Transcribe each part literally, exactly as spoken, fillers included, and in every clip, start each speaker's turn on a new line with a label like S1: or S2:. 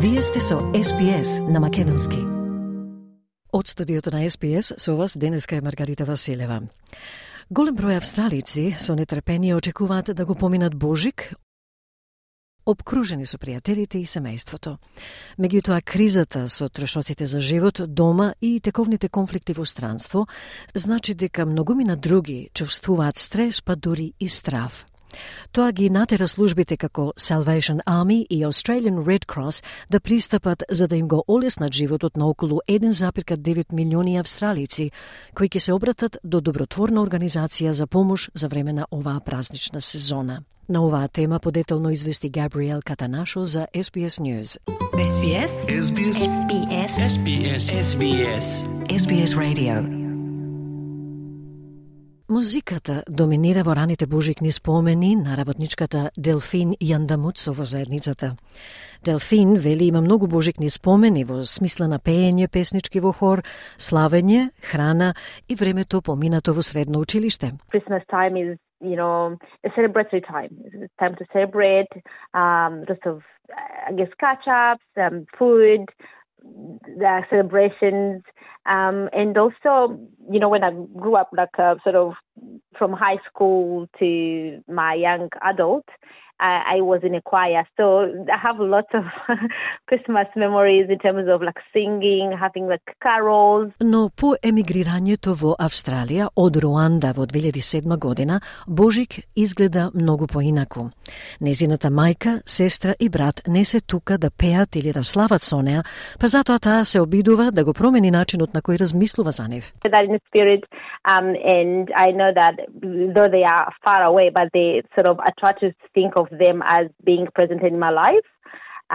S1: Вие сте со Ес Би Ес на македонски. Од студиото на Ес Би Ес со вас денеска е Маргарита Василева. Голем број австралици со нетрпение очекуваат да го поминат Божик, обкружени со пријателите и семејството. Меѓутоа, кризата со трошоците за живот дома и тековните конфликти во странство значи дека многумина други чувствуваат стрес, па дури и страв. Тоа ги натера службите како Salvation Army и Australian Red Cross да пристапат за да им го олеснат животот на околу еден запирка девет милиони австралици, кои ќе се обратат до добротворна организација за помош за време на оваа празнична сезона. На оваа тема подетелно извести Габриел Катанашо за Ес Би Ес News.
S2: Ес Би Ес. Ес Би Ес. Ес Би Ес. Ес Би Ес. Ес Би Ес.
S1: Ес Би Ес Radio. Музиката доминира во раните божикни спомени на работничката Делфин Јандамуцо во заедницата. Делфин вели има многу божикни спомени во смисла на пеење песнички во хор, славење, храна и времето поминато во средно училиште.
S3: Christmas time is, you know, a celebratory time. It's time to celebrate, um, lots of, I guess, catch-ups, um, food, the celebrations, um, and also, you know, when I grew up, like uh, sort of from high school to my young adult, I, I was in a choir, so I have lots of Christmas memories in terms of like singing, having like carols.
S1: Но по емигрирањето во Австралија од Руанда во две илјади и седма година, Божик изгледа многу поинаку. Незината мајка, сестра и брат не се тука да пеат или да слават со неа, па затоа таа се обидува да го промени начинот на кој размислува за нив.
S3: That in spirit, um, and I know that though they are far away, but they sort of I try to think of them as being present in my life,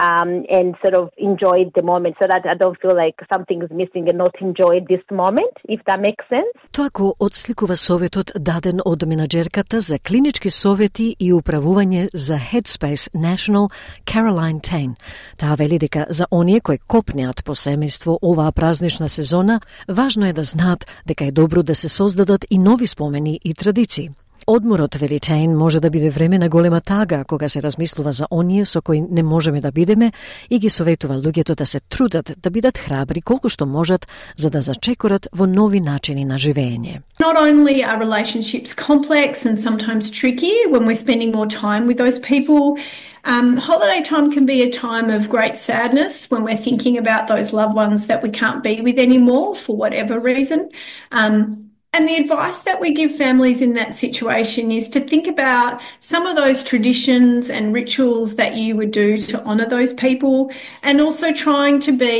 S3: um, and sort of enjoy the moment so that I don't feel like something is missing and not enjoy this moment, if that makes sense.
S1: Тоа го отсликува советот даден од менаџерката за клинички совети и управување за Headspace National Caroline Tane. Таа вели дека за оние кои копнеат по семејство оваа празнична сезона, важно е да знаат дека е добро да се создадат и нови спомени и традиции. Одморот, вели Тейн, може да биде време на голема тага кога се размислува за оние со кои не можеме да бидеме и ги советува луѓето да се трудат да бидат храбри колку што можат за да зачекорат во нови начини на живење.
S4: Not only are relationships complex and sometimes tricky when we're spending more time with those people, um, holiday time can be a time of great sadness when we're thinking about those loved ones that we can't be with anymore for whatever reason. Um, And the advice that we give families in that situation is to think about some of those traditions and rituals that you would do to honour those people, and also trying to be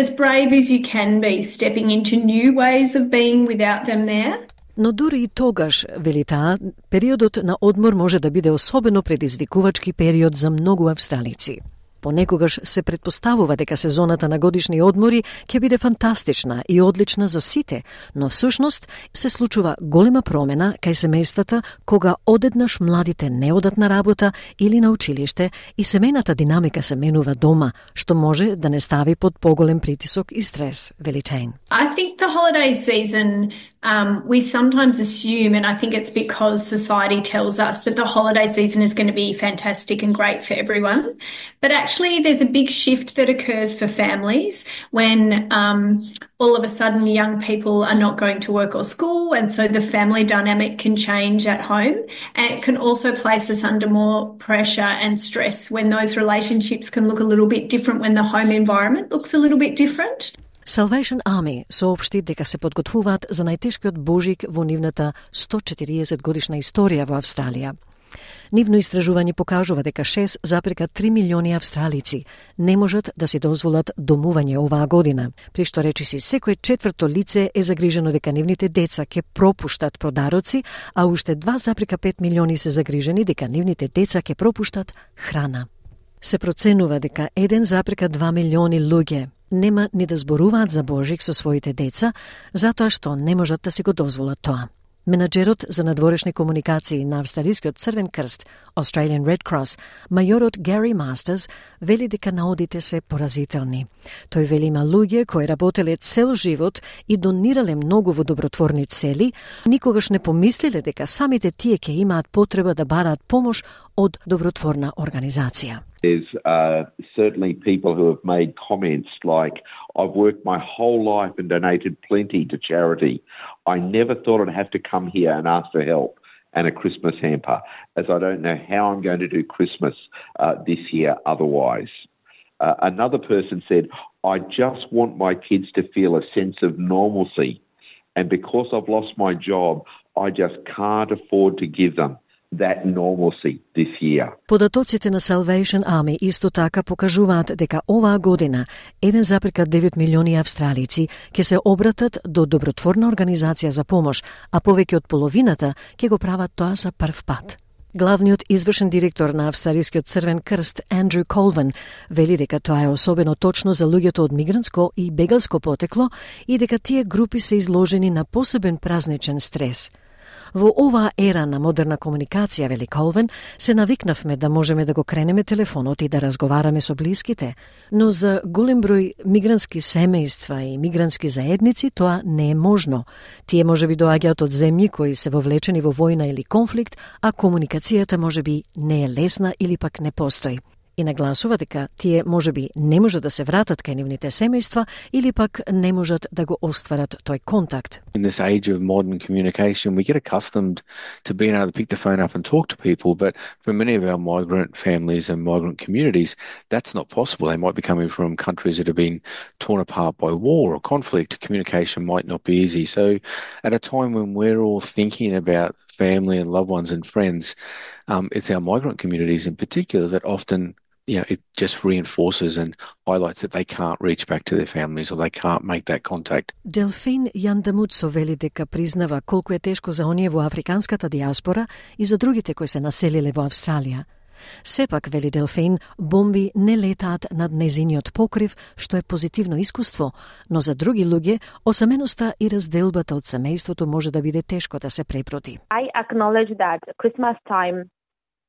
S4: as brave as you can be, stepping into new ways of being without them there.
S1: Но дури и тогаш, вели таа, периодот на одмор може да биде особено предизвикувачки период за многу австралици. Понекогаш се предпоставува дека сезоната на годишни одмори ќе биде фантастична и одлична за сите, но всушност се случува голема промена кај семејствата кога одеднаш младите не одат на работа или на училиште и семејната динамика се менува дома, што може да не стави под поголем притисок и стрес, вели Тейн.
S4: I think the holiday season Um, we sometimes assume, and I think it's because society tells us that the holiday season is going to be fantastic and great for everyone. But actually there's a big shift that occurs for families when um, all of a sudden young people are not going to work or school, and so the family dynamic can change at home. And it can also place us under more pressure and stress when those relationships can look a little bit different, when the home environment looks a little bit different.
S1: Salvation Army соопшти дека се подготвуваат за најтешкиот Божик во нивната сто и четириесет годишна историја во Австралија. Нивно истражување покажува дека шест запирка три милиони австралици не можат да си дозволат домување оваа година, при што речиси секое четврто лице е загрижено дека нивните деца ќе пропуштат продароци, а уште два запирка пет милиони се загрижени дека нивните деца ќе пропуштат храна. Се проценува дека еден запирка два милиони луѓе нема ни да зборуваат за Божик со своите деца, затоа што не можат да си го дозволат тоа. Менаџерот за надворешни комуникации на Австралискиот Црвен крст, Australian Red Cross, мајорот Гари Мастерс, вели дека наодите се поразителни. Тој вели има луѓе кои работеле цел живот и донирале многу во добротворни цели, никогаш не помислиле дека самите тие ќе имаат потреба да бараат помош од добротворна организација.
S5: There's uh, certainly people who have made comments like, I've worked my whole life and donated plenty to charity. I never thought I'd have to come here and ask for help and a Christmas hamper, as I don't know how I'm going to do Christmas uh, this year otherwise. Uh, another person said, I just want my kids to feel a sense of normalcy, and because I've lost my job, I just can't afford to give them that normalcy this year.
S1: Податоците на Salvation Army исто така покажуваат дека оваа година еден запирка девет милиони австралици ќе се обратат до добротворна организација за помош, а повеќе од половината ќе го прават тоа за прв пат. Главниот извршен директор на Австралискиот Црвен крст Андрю Колвин вели дека тоа е особено точно за луѓето од мигрантско и бегалско потекло и дека тие групи се изложени на посебен празничен стрес. Во оваа ера на модерна комуникација, вели Колвин, се навикнавме да можеме да го кренеме телефонот и да разговараме со блиските, но за голем број мигрантски семејства и мигрантски заедници тоа не е можно. Тие можеби доаѓаат од земји кои се вовлечени во војна или конфликт, а комуникацијата можеби не е лесна или пак не постои. И нагласува дека тие можеби не можат да се вратат кај нивните семејства или пак не можат да го остварат тој контакт.
S6: In this age of modern communication, we get accustomed to being able to pick the phone up and talk to people, but for many of our migrant families and migrant communities, that's not possible. They might be coming from countries that have been torn apart by war or conflict. Communication might not be easy. So at a time when we're all thinking about family and loved ones and friends, um, it's our migrant communities in particular that often, you know, it just reinforces and highlights that they can't reach back to their families or they can't make that contact.
S1: Делфин Јандамуцо вели дека признава колку е тешко за оние во африканската диаспора и за другите кои се населиле во Австралија. Сепак, вели Делфин, бомби не летаат над незиниот покрив, што е позитивно искуство, но за други луѓе, осаменоста и разделбата од семејството може да биде тешко да се препроти.
S3: I acknowledge that Christmas time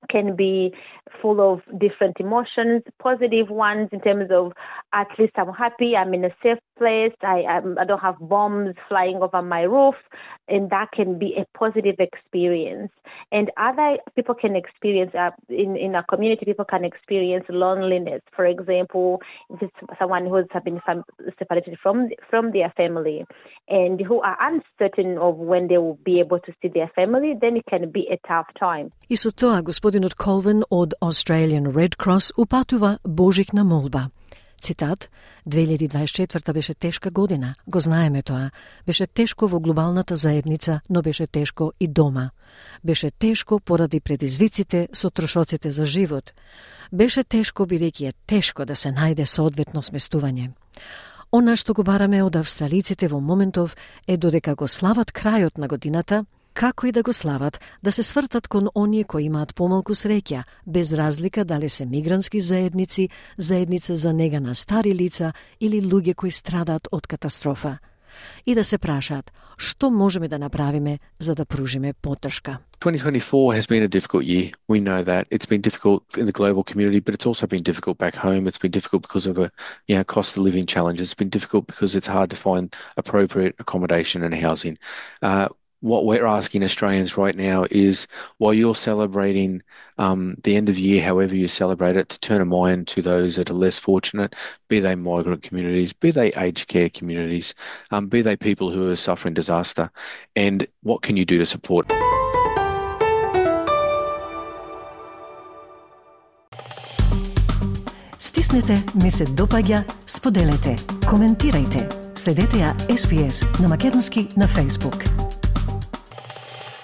S3: can be full of different emotions, positive ones in terms of at least I'm happy, I'm in a safe place, I, I'm, I don't have bombs flying over my roof, and that can be a positive experience. And other people can experience, uh, in, in a community, people can experience loneliness. For example, if it's someone who's been separated from, from their family and who are uncertain of when they will be able to see their family, then it can be a tough time.
S1: И со тоа, господинот Колвин од Australian Red Cross упатува божикна молба. Цитат, две илјади дваесет и четврта беше тешка година, го знаеме тоа. Беше тешко во глобалната заедница, но беше тешко и дома. Беше тешко поради предизвиците со трошоците за живот. Беше тешко бидејќи е тешко да се најде соодветно сместување. Она што го бараме од австралиците во моментов е додека го слават крајот на годината, како и да го слават, да се свртат кон оние кои имаат помалку среќа, без разлика дали се мигрантски заедници, заедница за нега на стари лица или луѓе кои страдаат од катастрофа. И да се прашаат, што можеме да направиме за да пружиме поддршка.
S6: twenty twenty-four has been a difficult year. We know that. It's been difficult in the global community, but it's also been difficult back home. It's been difficult because of a, you know, cost of living challenges. It's been difficult because it's hard to find appropriate accommodation and housing. Uh, What we're asking Australians right now is, while you're celebrating um, the end of year, however you celebrate it, to turn a mind to those that are less fortunate, be they migrant communities, be they aged care communities, um, be they people who are suffering disaster, and what can you do to support?
S1: Стиснете, ми се допаѓа, споделете, коментирајте. Следете ја Ес Би Ес на македонски на Facebook.